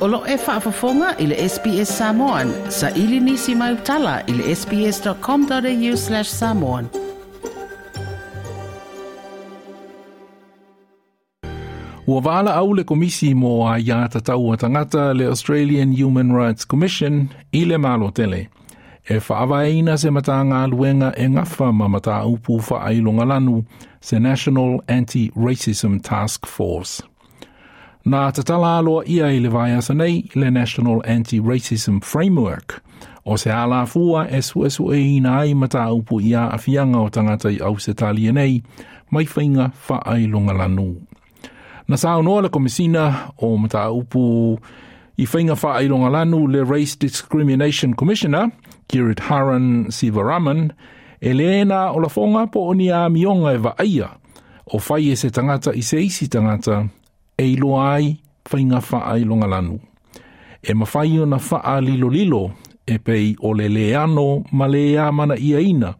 O lo e faafofoga i le SBS Samoan. Sa ili nisi mai utala i le sbs.com.au/samoan. Ua valaau le Komisi mo Aia Tatau a Tagata le Australian Human Rights Commission i le Malo tele e faavaeina se Matagaluega e gafa ma mataupu faailogalanu se National Anti-Racism Task Force. Na tatala aloaia i le vaiaso nei le National Anti-Racism Framework, o se alafua e suesueina ai mataupu i aafiaga o tagata i Ausetalia nei mai faiga faailogalanu. Na saunoa le Komesina o Mataupu i Faiga Faailogalanu le Race Discrimination Commissioner, Giridharan Sivaraman, e le na o lafoga po o ni amioga e vaaia o fai e se tagata i se isi tagata e iloa ai faiga faailogalanu. E mafai ona faalilolilo e pei o le leano ma le amanaiaina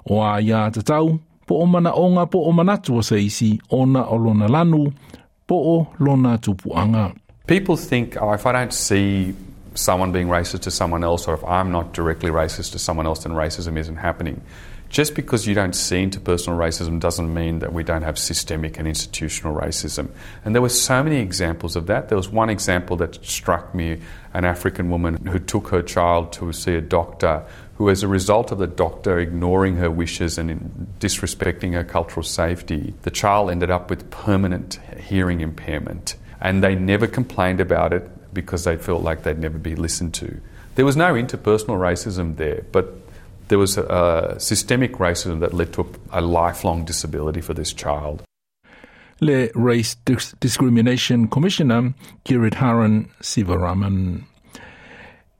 o aia tatau po o manaoga po o manatu o se isi ona o lona lanu po o lona tupuaga. People think, oh, if I don't see someone being racist to someone else, or if I'm not directly racist to someone else, then racism isn't happening. Just because you don't see interpersonal racism doesn't mean that we don't have systemic and institutional racism. And there were so many examples of that. There was one example that struck me, an African woman who took her child to see a doctor, who as a result of the doctor ignoring her wishes and disrespecting her cultural safety, the child ended up with permanent hearing impairment. And they never complained about it because they felt like they'd never be listened to. There was no interpersonal racism there, but there was a systemic racism that led to a lifelong disability for this child. Le Race Discrimination Commissioner Giridharan Sivaraman.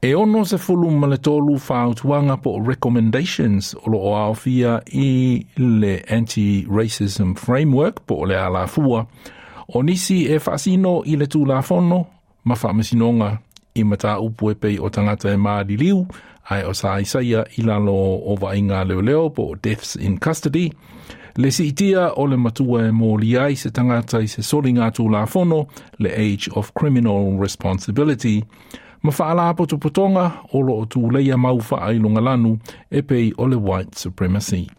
E 63 fautuaga po o recommendations o lo o aofia i le Anti-Racism Framework po o le alafua, o nisi e faasino i le Tulafono ma faamasinoga i mataupu e pei o tagata e maliliu ae o sa aisaia i lalo o vaaiga a leoleo po o deaths in custody, le siitia o le matua e moli ai se tagata i se soliga Tulafono, le age of criminal responsibility, ma faalapotopotoga o lo o tuleia mau faailogalanu e pei o le white supremacy.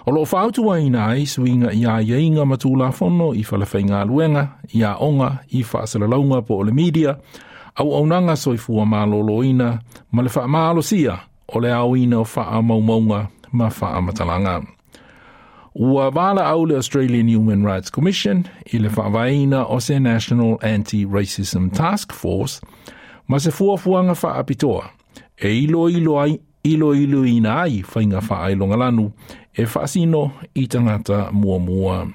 O lo o fautuaina ai suiga i aiaiga ma Tulafono i falefaigaluega, i aoga, i faasalalauga po o le media, auaunaga soifua malōlōina ma le faamalosia o le aoina o faamaumauga ma faamatalaga. Ua valaau le Australian Human Rights Commission i le faavaeina o se National Anti-Racism Task Force ma se fuafuaga faapitoa e iloilo ai iloiloina ai faiga faailogalanu e faasino i tagata muamua.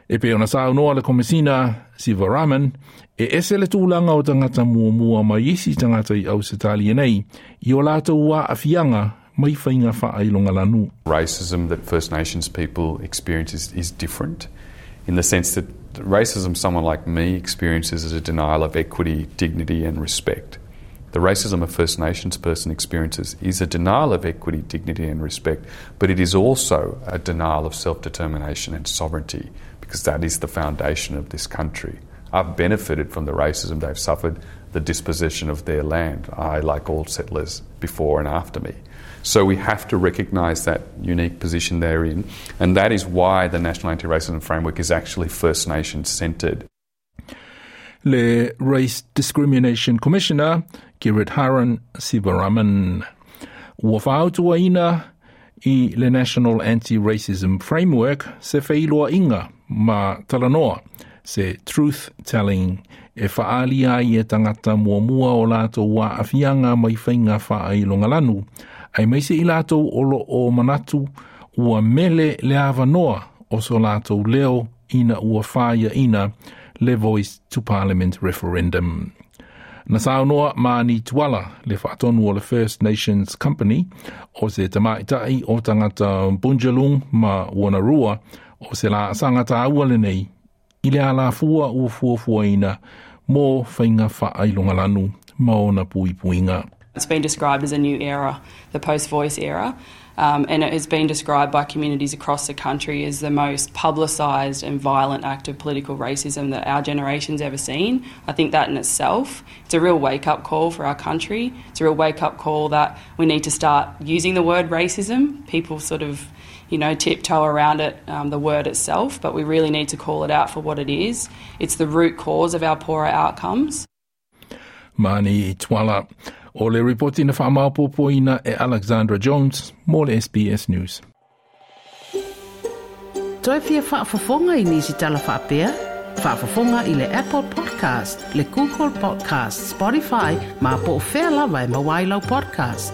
E pei ona saunoa le Komesina Sivaraman, e ese le tulaga o tagata muamua mai isi tagata i Ausetalia nei i o latou aafiaga mai faiga faailogalanu. Racism that First Nations people experience is different in the sense that racism someone like me experiences is a denial of equity, dignity and respect. The racism a First Nations person experiences is a denial of equity, dignity and respect, but it is also a denial of self-determination and sovereignty, because that is the foundation of this country. I've benefited from the racism they've suffered, the dispossession of their land, I, like all settlers before and after me. So we have to recognise that unique position they're in, and that is why the National Anti-Racism Framework is actually First Nations centred. Le Race Discrimination Commissioner Giridharan Sivaraman. Ua fautuaina i le National Anti-Racism Framework se feiloaiga ma talanoa, se truth telling e faaali ai e tagata muamua o latou aafiaga mai faiga faailogalanu, aemaise i latou o lo o manatu ua mele le avanoa o so latou leo ina ua faiaina le Voice to Parliament referendum. Na saunoa Marnie Tuala, le faatonu o le First Nations Company, o se tamaitai o tagata Bundjalung ma Wonnarua, o se laasaga taua lenei, i le alafua ua fuafuaina mo faiga faailogalanu ma ona puipuiga. It's been described as a new era, the post-voice era. And it has been described by communities across the country as the most publicised and violent act of political racism that our generation's ever seen. I think that in itself, it's a real wake-up call for our country. It's a real wake-up call that we need to start using the word racism. People sort of, tiptoe around it, the word itself, but we really need to call it out for what it is. It's the root cause of our poorer outcomes. Mani Tuala. O le ripoti na whaamaopopoina e Alexandra Jones mo le SBS News. Toe fia faafofoga i nisi tala faapea? Faafofoga i le Apple Podcast, le Google Podcast, Spotify, ma po o fea lava e maua ai lau podcast.